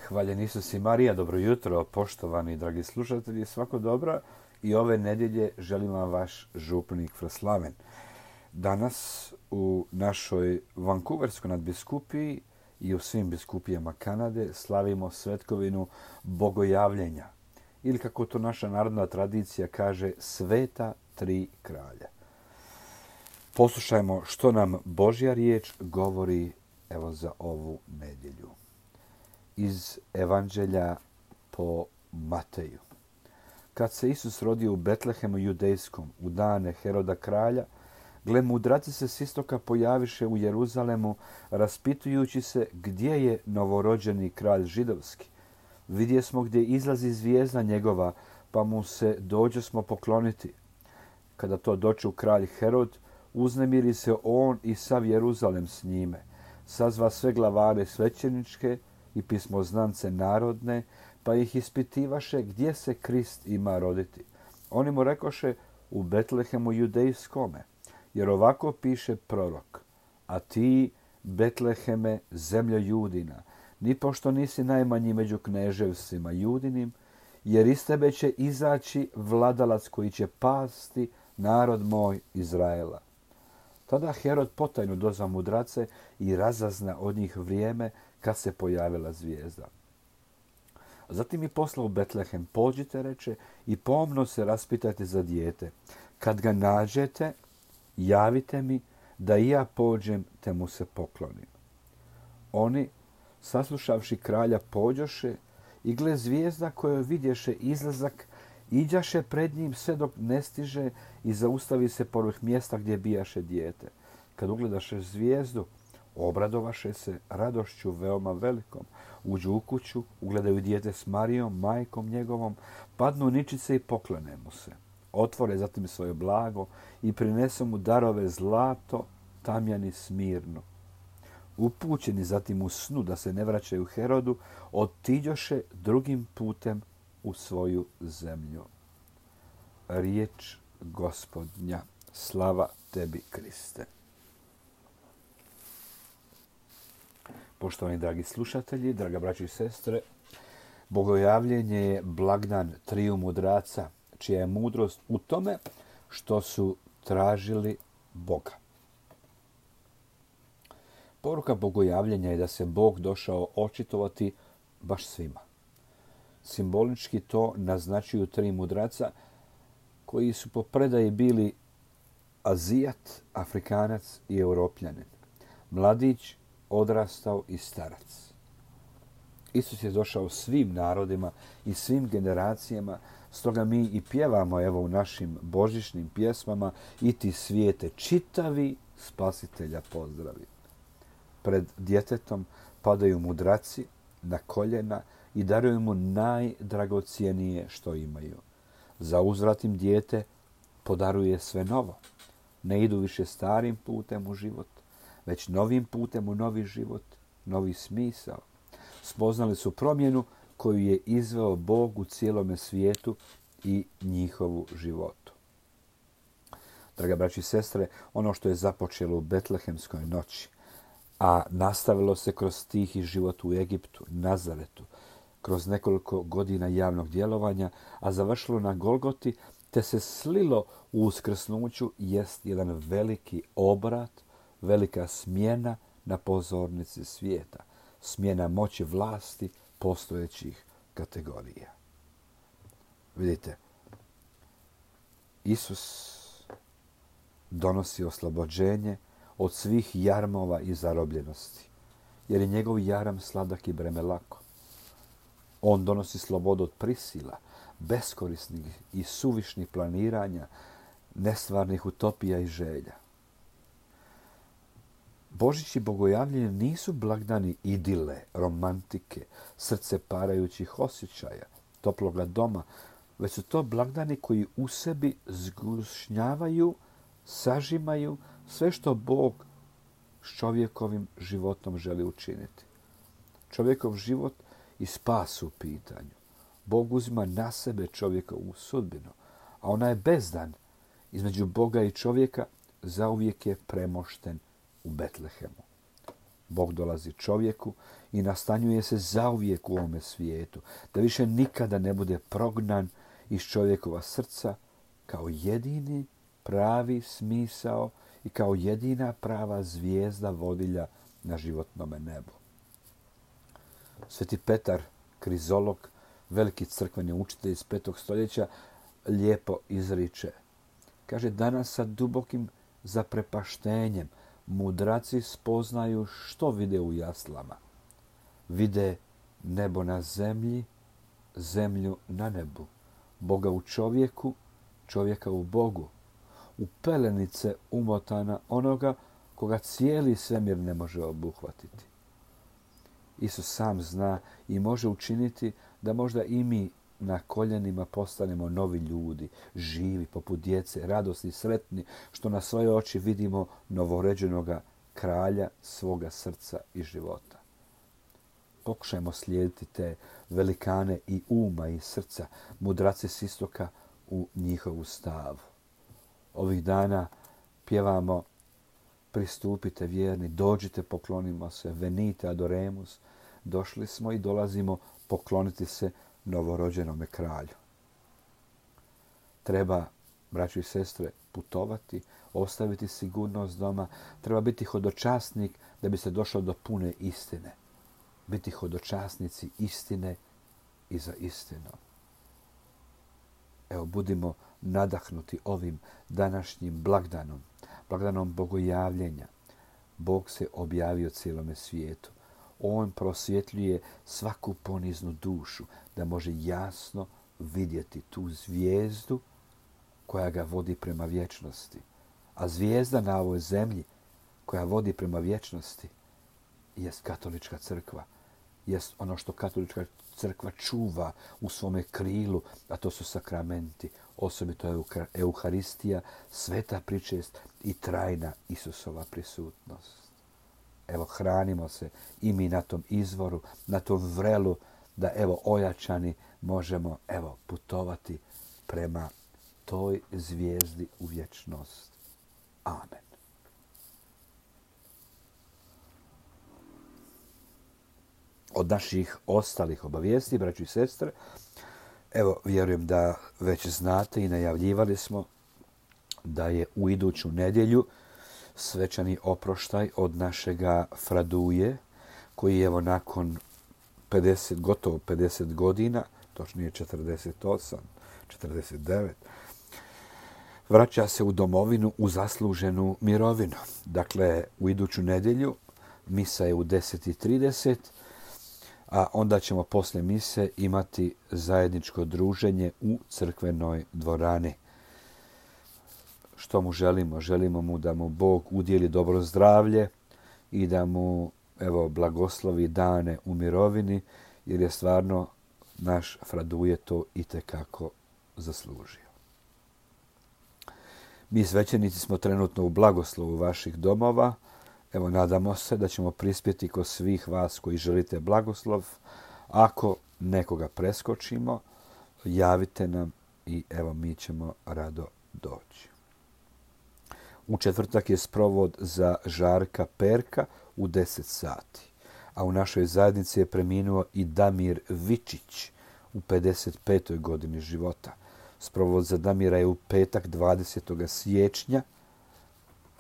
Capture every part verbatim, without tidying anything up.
Hvaljen Isus i Marija, dobro jutro, poštovani dragi slušatelji, svako dobro i ove nedjelje želim vam vaš župnik Fraslaven. Danas u našoj Vancouverskoj nadbiskupiji i u svim biskupijama Kanade slavimo svetkovinu Bogojavljenja ili kako to naša narodna tradicija kaže Sveta tri kralja. Poslušajmo što nam Božja riječ govori evo za ovu nedjelju. Iz Evanđelja po Mateju. Kad se Isus rodio u Betlehemu judejskom u dane Heroda kralja, gle mudraci se s istoka pojaviše u Jeruzalemu, raspitujući se gdje je novorođeni kralj židovski. Vidje smo gdje izlazi zvijezda njegova, pa mu se dođe smo pokloniti. Kada to doču kralj Herod, uznemiri se on i sav Jeruzalem s njime. Sazva sve glavare svećeničke i pismoznance narodne, pa ih ispitivaše gdje se Krist ima roditi. Oni mu rekoše u Betlehemu judejskome, jer ovako piše prorok. A ti, Betleheme, zemljo Judina, nipošto nisi najmanji među kneževstvima Judinim, jer iz tebe će izaći vladalac koji će pasti narod moj Izraela. Tada Herod potajno dozva mudrace i razazna od njih vrijeme kad se pojavila zvijezda. Zatim i posla u Betlehem, pođite, reče, i pomno se raspitajte za dijete. Kad ga nađete, javite mi da i ja pođem te mu se poklonim. Oni, saslušavši kralja, pođoše i gle zvijezda kojoj vidješe izlazak, iđaše pred njim sve dok ne stiže i zaustavi se povrh mjesta gdje bijaše dijete. Kad ugledaše zvijezdu, obradovaše se radošću veoma velikom. Uđu u kuću, ugledaju dijete s Marijom, majkom njegovom, padnu ničice i poklone mu se. Otvore zatim svoje blago i prinesu mu darove zlato, tamjan i smirno. Upućeni zatim u snu da se ne vraćaju Herodu, otiđoše drugim putem u svoju zemlju. Riječ Gospodnja, slava tebi, Kriste. Poštovani dragi slušatelji, draga braćo i sestre, Bogojavljenje je blagdan triju mudraca, čija je mudrost u tome što su tražili Boga. Poruka Bogojavljenja je da se Bog došao očitovati baš svima. Simbolički to naznačuju tri mudraca koji su po predaji bili Azijat, Afrikanac i Europljanin. Mladić, odrastao i starac. Isus je došao svim narodima i svim generacijama, stoga mi i pjevamo evo u našim božićnim pjesmama i ti svijete čitavi spasitelja pozdravi. Pred djetetom padaju mudraci na koljena i daruju mu najdragocijenije što imaju. Za uzvrat im dijete podaruje sve novo. Ne idu više starim putem u život, već novim putem u novi život, novi smisao. Spoznali su promjenu koju je izveo Bog u cijelome svijetu i njihovu životu. Draga braći i sestre, ono što je započelo u Betlehemskoj noći, a nastavilo se kroz tihi život u Egiptu, Nazaretu, kroz nekoliko godina javnog djelovanja, a završilo na Golgoti, te se slilo u uskrsnuću, jest jedan veliki obrat, velika smjena na pozornici svijeta, smjena moći vlasti postojećih kategorija. Vidite, Isus donosi oslobođenje od svih jarmova i zarobljenosti, jer je njegov jaram sladak i breme lako. On donosi slobodu od prisila, beskorisnih i suvišnih planiranja, nestvarnih utopija i želja. Božić i Bogojavljenje nisu blagdani idile, romantike, srce parajućih osjećaja, toploga doma, već su to blagdani koji u sebi zgušnjavaju, sažimaju sve što Bog s čovjekovim životom želi učiniti. Čovjekov život i spas u pitanju. Bog uzima na sebe čovjekovu sudbinu, a ona je bezdan između Boga i čovjeka zauvijek je premošten u Betlehemu. Bog dolazi čovjeku i nastanjuje se zauvijek u ovome svijetu, da više nikada ne bude prognan iz čovjekova srca kao jedini pravi smisao i kao jedina prava zvijezda vodilja na životnome nebu. Sveti Petar Krizolog, veliki crkveni učitelj iz petog stoljeća, lijepo izriče. Kaže, danas sa dubokim zaprepaštenjem mudraci spoznaju što vide u jaslama. Vide nebo na zemlji, zemlju na nebu, Boga u čovjeku, čovjeka u Bogu, u pelenice umotana onoga koga cijeli svemir ne može obuhvatiti. Isus sam zna i može učiniti da možda i mi na koljenima postanemo novi ljudi, živi, poput djece, radosni, sretni, što na svoje oči vidimo novorođenoga kralja svoga srca i života. Pokušajmo slijediti te velikane i uma i srca, mudrace s istoka u njihovu stavu. Ovih dana pjevamo pristupite vjerni, dođite, poklonimo se, venite adoremus. Došli smo i dolazimo pokloniti se novorođenome kralju. Treba, braćo i sestre, putovati, ostaviti sigurnost doma. Treba biti hodočasnik da bi se došlo do pune istine. Biti hodočasnici istine i za istinu. Evo, budimo nadahnuti ovim današnjim blagdanom, blagdanom bogojavljenja. Bog se objavio cijelome svijetu. On prosvjetljuje svaku poniznu dušu da može jasno vidjeti tu zvijezdu koja ga vodi prema vječnosti. A zvijezda na ovoj zemlji koja vodi prema vječnosti jest katolička crkva. Jest ono što katolička crkva čuva u svome krilu, a to su sakramenti, osobito Euharistija, sveta pričest i trajna Isusova prisutnost. Evo, hranimo se i mi na tom izvoru, na tom vrelu, da evo ojačani možemo evo putovati prema toj zvijezdi u vječnost. Amen. Od naših ostalih obavijesti, braćo i sestre, evo, vjerujem da već znate i najavljivali smo da je u iduću nedjelju svečani oproštaj od našega Fraduje, koji evo nakon pedeset, gotovo pedeset godina, točnije četrdeset osam, četrdeset devet, vraća se u domovinu u zasluženu mirovinu. Dakle, u iduću nedjelju misa je u deset i trideset, a onda ćemo posle mise imati zajedničko druženje u crkvenoj dvorani. Što mu želimo? Želimo mu da mu Bog udjeli dobro zdravlje i da mu evo blagoslovi dane u mirovini, jer je stvarno naš Fraduje to itekako zaslužio. Mi svećenici smo trenutno u blagoslovu vaših domova. Evo, nadamo se da ćemo prispjeti kod svih vas koji želite blagoslov. Ako nekoga preskočimo, javite nam i evo mi ćemo rado doći. U četvrtak je sprovod za Žarka Perka u deset sati. A u našoj zajednici je preminuo i Damir Vičić u pedeset petoj godini života. Sprovod za Damira je u petak dvadesetog siječnja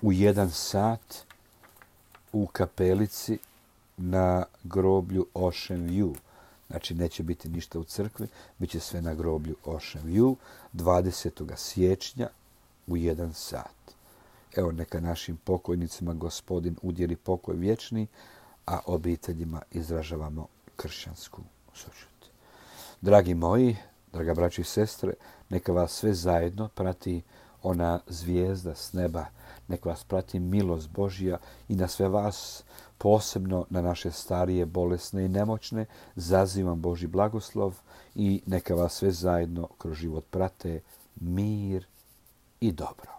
u jedan sat u kapelici na groblju Ocean View. Znači, neće biti ništa u crkvi, bit će sve na groblju Ocean View dvadesetog siječnja u jedan sat. Evo, neka našim pokojnicima Gospodin udjeli pokoj vječni, a obiteljima izražavamo kršćansku sućut. Dragi moji, draga braći i sestre, neka vas sve zajedno prati ona zvijezda s neba, neka vas prati milost Božja i na sve vas, posebno na naše starije, bolesne i nemoćne, zazivam Božji blagoslov i neka vas sve zajedno kroz život prate mir i dobro.